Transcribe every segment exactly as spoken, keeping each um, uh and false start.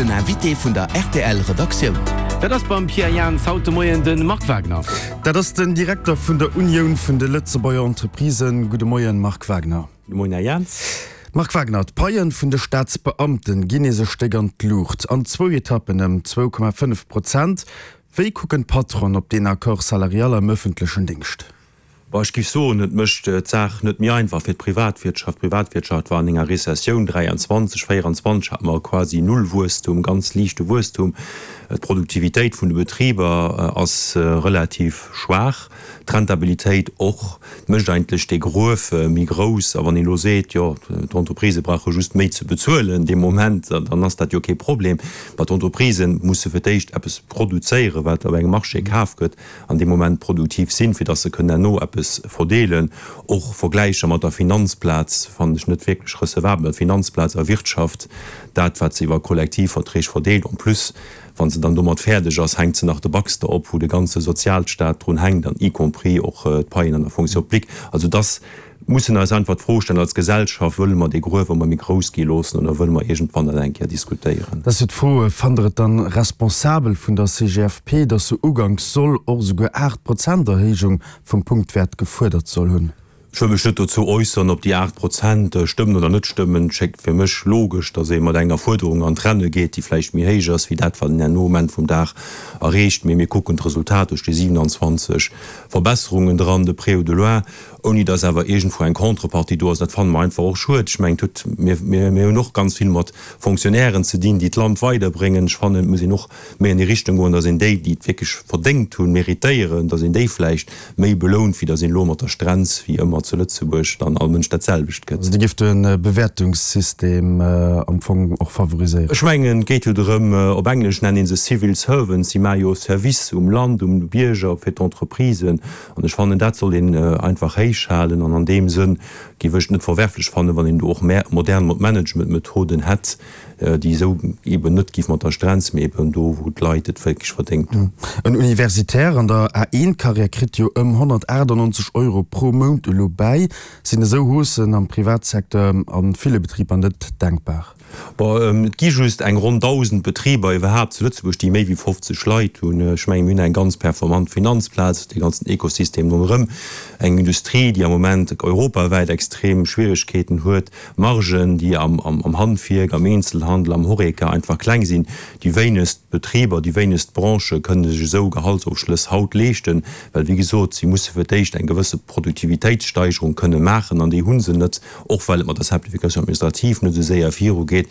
Den Invité vun der R T L Redaktioun. Dat ass beim Pierre Jans haut de Moien de Marc Wagner. Dat ass den Direkter vun der Unioun vun de Lëtzebuerger Entreprisen. Gudde Moien, Marc Wagner. Gudde Moien, Här Jans. Marc Wagner, d'Paie vun de Staatsbeamten ginn nees e Stéck an d'Luucht, an zwou Etappen ëm zwou Komma fënnef Prozent. Wéi kucken d'Patronen op deen Accord salarial am ëffentlechen Déngscht? Bon, ech géif soen, et mécht d'Saach net méi einfach fir d'Privatwirtschaft. D'Privatwirtschaft war an enger Rezessioun, dräianzwanzeg, véieranzwanzeg hate mer quasi Nullwuesstum, ganz liichte Wuesstum. D'Produktivitéit vun de Betriber ass relativ schwaach, d'Rentabilitéit och. Et mécht eigentlech dee Gruef méi grouss. A wann een elo seet, jo, d'Entreprisë brauche just méi ze bezuelen dee Moment, dann ass dat jo kee Problem. Mä d'Entreprisë musse fir d'éischt eppes produzéieren, wat op engem Marché kaf gëtt, an dee Moment produktiv sinn, fir datt se kënnen herno eppes verdeelen. Och Vergläicher mat der Finanzplaz fannen ech net wierklech recevabel. Finanzplaz a Wirtschaft, dat wat se iwwer Kollektivverträg verdeelt, en plus wa se dann domat fäerdeg ass, hänkt se nach de Baxter op, wou de ganze Sozialstaat drun hänkt an y compris och d'Paien an der Fonction publique. Also dass mussen eis einfach d'Fro stellen als Gesellschaft, wëlle mer dee Gruef ëmmer méi grouss gi loossen oder wëlle mer iergendwann dat eng Kéier diskutéieren? Dat ass jo d'Fro, Fannt Der et dann responsabel vun der C G F P, dass se uganks soll och esouguer aacht Prozent Erhéijung vum Punktwäert gefuerdert soll hunn? Ech wëll mech net dozou äusseren, ob déi aacht Prozent stëmmen oder net stëmmen. Et schéngt fir mech logesch, datt ee mat enger Fuerderung an d'Renne geet, déi vläicht méi héich ass wéi dat, wat een herno um Enn vum Dag erreecht. Mee mir kucken d'Resultat duerch déi siewenanzwanzeg Verbesserungen dran, de près ou de loin, ouni datt awer iergendwou eng Contrepartie do ass. Dat fanne mer einfach och schued. Ech mengen, et huet, mir, mir hunn och ganz vill mat Fonctionnairen ze dinn, déi d'Land weiderbréngen. Ech fannen, et muss een och méi an déi Richtung goen, datt een déi, déi et wierklech verdéngt hunn, méritéieren, datt een déi vläicht méi belount, wéi datt een elo mat der Strenz, wéi ëmmer zu Lëtzebuerg, dann all Mënsch dat selwecht gëtt. Also Dir gift de Bewäertungssystem am Fong och favoriséieren? Ech mengen, et geet jo drëm, op Englesch nennen ee se civil servants, si maache jo Service um Land, um Bierger, fir d'Entreprisen. An ech fannen, dat soll een einfach héich halen. An an deem Sënn géif ech et net verwerflech fannen, wann een do och modern Managementmethoden hätt, déi esou eben net géif mat der Strenz, mee eben do, wou d'Leit et wierklech verdéngt hunn. En Universitaire an der A eent-Karriär kritt jo ëm honnertaachtanonzeg Euro pro Mount elo bäi. Sinn esou Haussen am Privatsecteur a ville Betriber net denkbar? Bon, et gi just eng ronn dausend Betriber iwwerhaapt zu Lëtzebuerg, déi méi wéi fofzeg Leit hunn. Ech mengen, mir hunn eng ganz performant Finanzplaz, dee ganzen Ekosystem ronderëm, eng Industrie, déi am Moment europawäit extrem Schwieregkeeten huet, Margen, déi am Handwierk, am Eenzelhandel, am Horeca einfach kleng sinn. Déi wéinegst Betriber, déi wéinegst Branchë kënne sech esou Gehaltsofschlëss haut leeschten, well, wéi gesot, si musse fir d'éischt eng gewësse Produktivitéitssteigerung kënne maachen an déi hu se net, och well et mat der Simplification administrative net esou séier virugeet.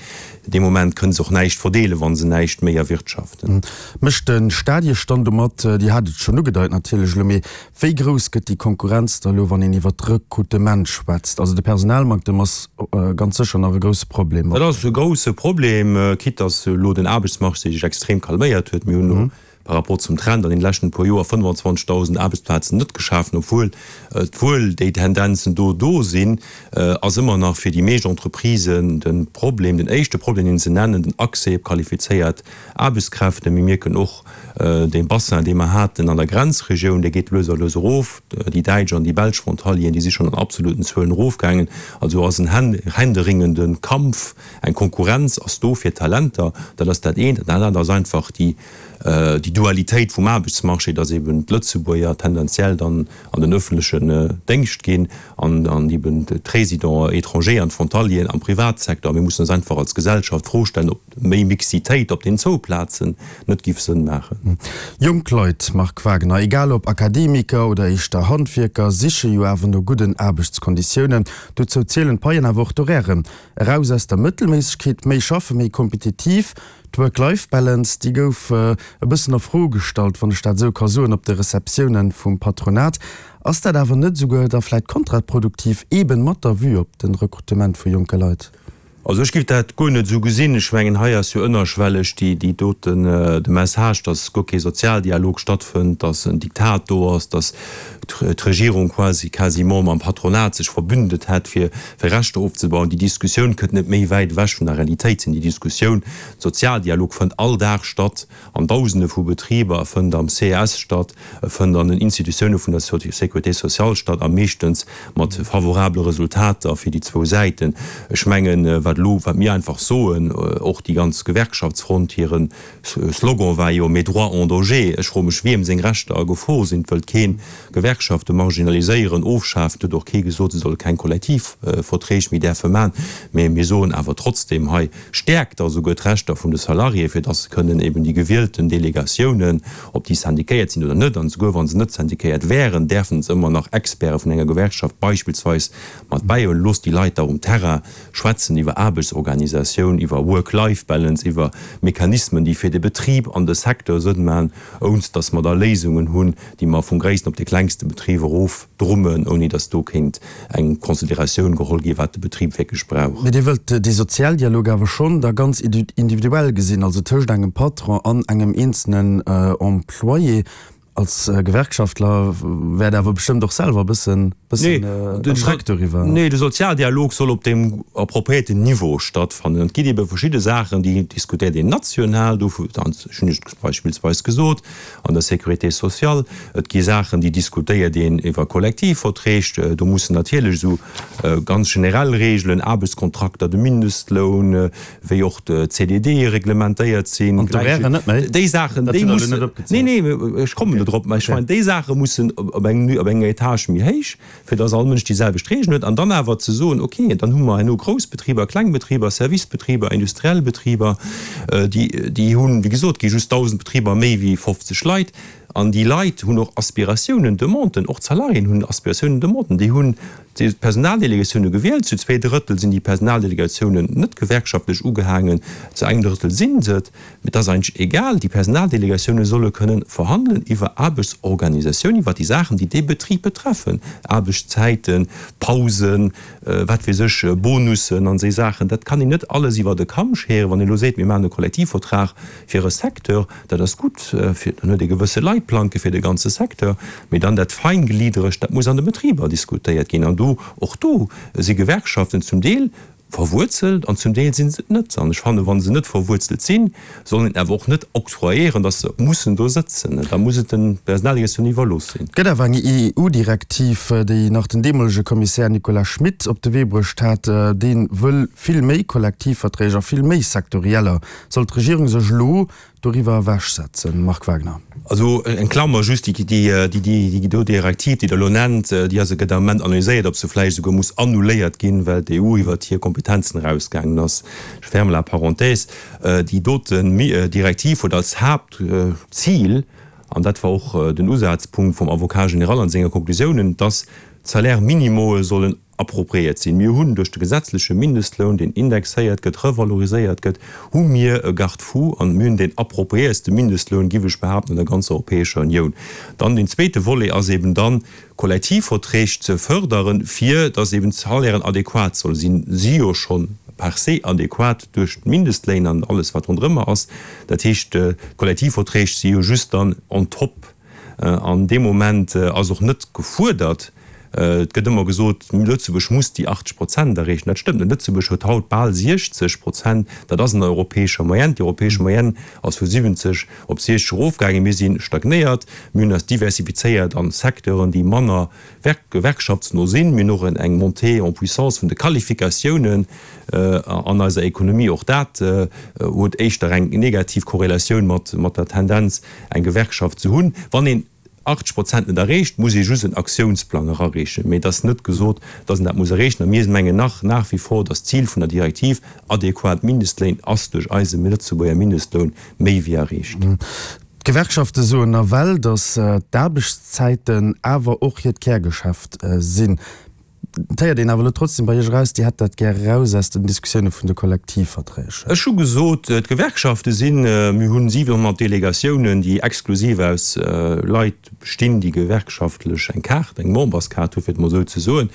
Dee Moment kënne se och näischt verdeelen, wa se näischt méi erwirtschaften. Mécht de Staat Iech dann domat, Dir hat et schonn ugedeit natierlech elo, mee wéi grouss gëtt déi Konkurrenz da elo, wann een iwwert d'Rekrutement schwätzt? Also de Personalmanktem ass ganz sécher nach e grousse Problem. Dat ass e grousse Problem, quitte dass elo den Aarbechtsmarché sech extrem calméiert huet. Mir hunn elo par rapport zum Trend an den leschten puer Joer fënnefanzwanzegdausend Aarbechtsplazen net geschafen, obwuel wuel déi Tendenzen do do sinn, ass ëmmer nach fir déi meescht Entreprisen de Problem, den éischte Problem, deen se nennen, den Accès op qualifizéiert Aarbechtskräfte. Mir mierken och, dee Bassin, dee mer haten an der Grenzregioun, dee geet lues a lues erof. Déi däitsch an déi belsch Frontalieren, déi si schonn an absoluten Zuelen erofgaangen. Also ass en händeringende Kampf, eng Konkurrenz ass do fir Talenter. Dat ass dat eent. Dat anert ass einfach déi déi Dualitéit vum Aarbechtsmarché, dass eben d'Lëtzebuerger tendenziell dann an den öffentlechen Déngscht ginn an an eben d'Résidents étrangers an d'Frontalieren am Privatsecteur. Mir mussen eis einfach als Gesellschaft d'Fro stellen, ob méi Mixitéit op den zwou Plazen net giff Sënn maachen. Jonk Leit, Marc Wagner, egal ob Akademiker oder éischter Handwierker, siche jo awer no gudden Aarbechtskonditiounen. Dozou zielen d'Paien, awer och d'Horairen. Eraus aus der Mëttelméissegkeet, méi schaffen, méi kompetitiv. D'Work-Life-Balance, déi gouf e bëssen a Fro gestallt, wann ech dat esou ka soen, op de Receptiounen vum Patronat. Ass dat awer net esouguer da vläit kontraproduktiv, eeben mat der Vue op de Rekrutement vu jonke Leit? Also ech géif dat guer net esou gesinn. Ech mengen, hei ass jo ënnerschwelleg déi, déi doten, de Message, dass guer kee Sozialdialog stattfënnt, dass en Diktat do ass, dass d'Regierung quasi quasiment mam Patronat sech verbündet hätt, fir fir Rechter ofzebauen. Déi Diskussioun kënnt net méi wäit ewech vun der Realitéit sinn. Déi Diskussioun, Sozialdialog fënnt all Dag statt an Dausende vu Betriber, e fënnt am C E S statt, e fënnt an den Institutioune vun der Sécurité sociale statt, a meeschtens mat favorabele Resultater fir déi zwou Säiten. Ech mengen, Wat elo, wat mir einfach soen, och déi ganz Gewerkschaftsfront, hire Slogan war jo Mes droits en danger. Ech froe mech, wiem seng Rechter a Gefor sinn. Et wëllt keen Gewerkschafte marginaliséieren, ofschafen. Et huet och kee gesot, se solle keng Kollektivverträg méi däerfe maachen. Mä mir soen awer trotzdem hei, Stäerkt da souguer d'Rechter vun de Salariéë fir dass se kënnen eben déi gewielten Delegatiounen, ob déi syndiquéiert sinn oder net, an souguer wa se net syndiquéiert wären, däerfen se ëmmer nach Experte vun enger Gewerkschaft beispillsweis mat bäihuelen. Loosst déi Leit da um Terrain schwätzen iwwer Aarbechtsorganisatioun, iwwer Work-Life-Balance, iwwer Mechanismen, déi fir de Betrib an de Secteur Sënn maachen, ounst dass mer da Léisungen hunn, déi mer vum gréissten op de klengste Betrib erof drummen, ouni dass do kéint eng Consideratioun geholl ginn, wat de Betrib wierklech brauch. Mee Dir wëllt dee Sozialdialog awer schonn da ganz individuell gesinn, also tëscht engem Patron an engem eenzelnen Employé. Als Gewerkschaftler wäert Der awer bestëmmt och selwer e bëssen erschreckt doriwwer. Nee, de Sozialdialog soll op deem appropriéierten Niveau stattfannen. Et ginn ebe verschidde Saachen, déi diskutéiert een national, dovu hunn ech beispillsweis gesot, an der Sécurité sociale. Et gi Saachen, déi diskutéiert een iwwer Kollektivverträg. Do mussen natierlech esou ganz generell Regeln, Aarbechtskontrakter, de Mindestloun, wéi och de C D D reglementéiert sinn. An d'Horairen net méi? Déi Saachen, déi mussen. Nee, nee, ech kommen do drop. Mä ech mengen, déi Saache mussen op eng, op enger Etage méi héich, fir dass all Mënsch déi selwecht Regeln huet. An dann awer ze soen, okay, dann hu mer herno grouss Betriber, kleng Betriber, Servicebetriber, industriell Betriber, déi, déi hunn, wéi gesot, gi just dausend Betriber méi wéi fofzeg Leit. An déi Leit hunn och Aspiratiounen, Demanden, och d'Salariéen hunn Aspiratiounen, Demanden. Déi hunn d'Personaldelegatioune gewielt. Zu zwee Drëttel sinn déi Personaldelegatiounen net gewerkschaftlech ugehaangen, zu engem Drëttel si se et. Mee et ass eigentlech egal, déi Personaldelegatioune solle kënnen verhandelen iwwer Aarbechtsorganisatioun, iwwer déi Saachen, déi dee Betrib betreffen, Aarbechtszäiten, Pausen, wat weess ech, Bonussen an esou Saachen. Dat kann een net alles iwwer e Kamm scheren. Wann een elo seet, mir maachen e Kollektivvertrag fir e Secteur, dat ass gutt, fir dann huet ee gewësse Leitplanke fir de ganze Secteur, mee dann dat Feingliederegt, dat muss an de Betriber diskutéiert ginn. An do, och do si Gewerkschaften zum Deel verwuerzelt an zum Deel si se et net. An ech fannen, wa se net verwuerzelt sinn, soll een awer och net octroyéieren, datt se mussen do sëtzen. Da muss et den Personaldirektioun iwwerlooss sinn. Et gëtt awer eng E U-Direktiv, déi nach den deemolege Kommissär Nicolas Schmit op de Wee bruecht hat. Dee wëll vill méi Kollektivverträg a vill méi sektorieller. Soll d'Regierung sech elo doriwwer ewechsetzen, Marc Wagner? Also eng Klammer just, déi do Direktiv, déi Der elo nennt, déi ass, gëtt am Moment analyséiert, ob se vläicht esouguer muss annuléiert ginn, well d'E U iwwert hir Kompetenzen erausgaangen ass. Je ferme la parenthèse. Déi doten Direktiv huet als Haaptzil, an dat war och den Usazpunkt vum Avocat général an senger Konklusiounen, dass d'Salaire-minimoe sollen appropriéiert sinn. Mir hunn duerch de gesetzleche Mindestloun, deen indexéiert gëtt, revaloriséiert gëtt, hu mir e Garde-fou an mir hunn deen appropriéierste Mindestloun, giff ech behaapten, an der ganzer Europäescher Unioun. Dann deen zweete Volet ass eben dann, Kollektivverträg ze förderen, fir dass eben d'Salairen adequat solle sinn. Si jo schonn per se adequat duerch d'Mindestléin an alles wat ronderëmmer ass. Dat heescht, d'Kollektivverträg si jo just dann on top. An dee Moment ass och net gefuerdert, et gëtt ëmmer gesot, Lëtzebuerg muss déi achtzeg Prozent erreechen. Dat stëmmt net. Lëtzebuerg huet haut bal siechzeg Prozent. Dat ass an der europäescher Moyenne. Déi europäesch Moyenne ass vu siwwenzeg op siechzeg erofgaangen. Mir si stagnéiert. Mir hunn eis diversifizéiert an Secteuren, déi manner gewerkschaftsno sinn. Mir hunn och eng Montée en puissance vun de Qualifikatiounen an eiser Ekonomie. Och dat huet éischter eng negativ Korrelatioun mat der Tendenz, eng Gewerkschaft ze hunn. Wann een achtzeg Prozent net erreecht, muss ee just en Aktiounsplang erareechen. Mee et ass net gesot, dass een dat muss erreechen. A mir mengen nach nach wie vor, dass d'Zil vun der Direktiv, adequat Mindestléin, ass duerch eise Lëtzebuerger Mindestloun méi wéi erreecht. D'Gewerkschafte soen nawell, dass d'Aarbechtszäiten awer och hiert Kärgeschäft sinn. Et héiert een awer elo trotzdem bei Iech eraus, Dir hätt dat gär eraus aus den Diskussioune vun de Kollektivverträg. Ech hu gesot, d'Gewerkschafte sinn, mir hunn siwenhonnert Delegatiounen, déi exklusiv aus Leit bestinn, déi gewerkschaftlech eng Kaart, eng Memberskaart hu fir et mol esou ze soen.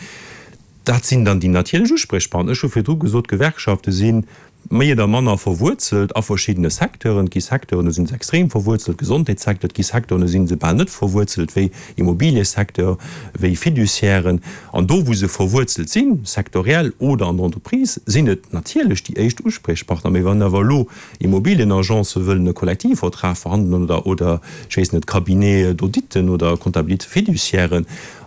Dat sinn dann déi natierlech Uspriechpartner. Ech hu virdru gesot, d'Gewerkschafte si méi oder manner verwuerzelt a verschiddene Secteuren. Et gi Secteuren, do si se extrem verwuerzelt, Gesondheetssecteur. Et gi Secteuren, do si se bal net verwuerzelt, wéi Immobiliësecteur, wéi Fiduciairen. An do, wou se verwuerzelt sinn, sektoriell oder an der Entreprise, sinn et natierlech déi éischt Uspriechpartner. Mee wann awer elo Immobilienagence wëllen e Kollektivvertrag verhandelen oder, oder ech weess net, Cabinets d'auditen oder Comptabilité-Fiduciairen,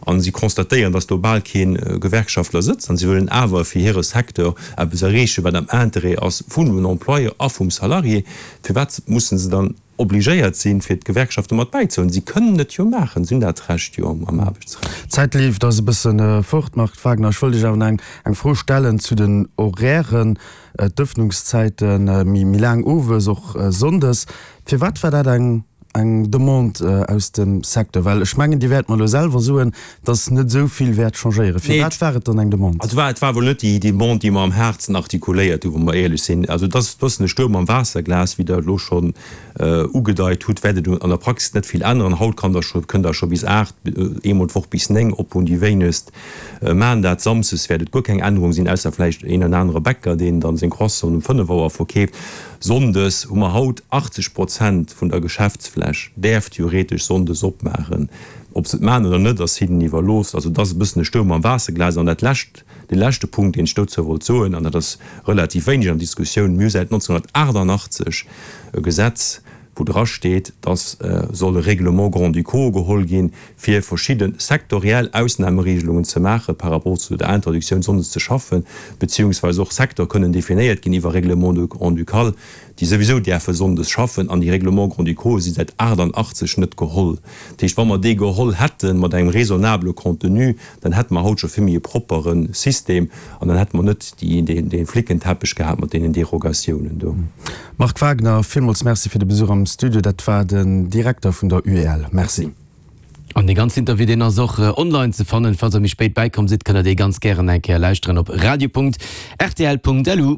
an si constatéieren, dass do bal kee Gewerkschaftler sëtzt, an si wëllen awer fir hire Secteur eppes erreechen, wat am Interêt ass vun den Employeur a vum Salarié, firwat mussen se dann obligéiert sinn, fir d'Gewerkschafte mat bäizehuelen? Si kënnen et jo maachen, si hunn dat Recht jo am Aarbechtsrecht. D'Zäit leeft eis e bësse fort, Marc Wagner. Ech wollt Iech awer nach eng Fro stellen zu den Horairen, d'Ëffnungszäite méi laang owes, och sonndes. Firwat war dat eng eng Demande aus dem Secteur? Well ech mengen, Dir wäert mer elo selwer soen, dass net esou vill wäert changéieren. Firwat war et dann eng Demande? Also et war wuel net déi Demande, déi mer am haartsten artikuléiert hunn, wa mer éierlech sinn. Also et ass e bëssen e Stuerm am Waasserglas, wéi Der elo schonn ugedeit hutt, wäert et an der Praxis net vill änneren. Haut kann der scho, kënnt Der scho bis aacht, eemol d'Woch bis néng op hunn. Déi wéinegst maachen dat. Samsdes wäert et guer keng Ännerung sinn, ausser vläicht een an anere Bäcker, deen dann seng Croissanten um fënnef Auer verkeeft. Sonndes hu mer haut achtzeg Prozent vun der Geschäftsfläch däerf theoretesch sonndes opmaachen. Ob se et maachen oder net, ass hinnen iwwerlooss. Also et ass e bëssen e Stuerm am Waasserglas. An dat lescht, dee leschte Punkt, deen ech dozou wollt soen, an dat ass relativ wéineg an der Diskussioun, Mir hu säit neunzehnhundertachtundachtzeg e Gesetz, wou dra steet, dass soll e Règlement grand-ducaux geholl ginn, fir verschidde sektoriell Ausnahmeregelungen ze maache par rapport zu der Interdictioun, sonndes ze schaffen, beziehungsweise och Secteur kënnen definéiert ginn iwwer Règlement grand-ducal, déi souwisou däerfe sonndes schaffen. An déi Règlements grand-ducaux si säit achtundachtzeg net geholl. Dat heescht, wa mer déi geholl hätte mat engem raisonnable Contenu, dann hätte mer haut scho vill méi e proppere System an dann hätte mer net dee Flickenteppech gehat mat deenen Derogatiounen do. Marc Wagner, villmools Merci fir de Besuch am Studio. Dat war den Direkter vun der U E L. Merci. An dee ganzen Interview, deen ass och online ze fannen. Falls der méi spéit bäikomm sidd, kënnt der dee ganz gären eng Kéier lauschteren op radio Punkt rtl Punkt lu.